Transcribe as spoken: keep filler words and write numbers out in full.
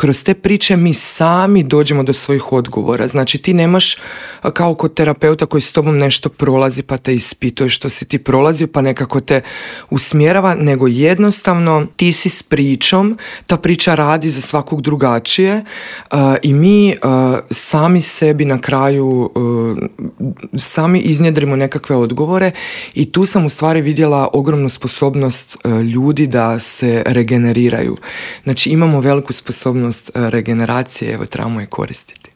kroz te priče mi sami dođemo do svojih odgovora. Znači ti nemaš kao kod terapeuta koji s tobom nešto prolazi pa te ispituje što si ti prolazio pa nekako te usmjerava, nego jednostavno ti si s pričom, ta priča radi za svakog drugačije uh, i mi uh, sami sebi na kraju uh, sami iznjedrimo nekakve odgovore i tu sam u stvari vidjela ogromnu sposobnost uh, ljudi da se regeneriraju. Znači imamo veliku sposobnost uh, regeneracije, evo trebamo je koristiti.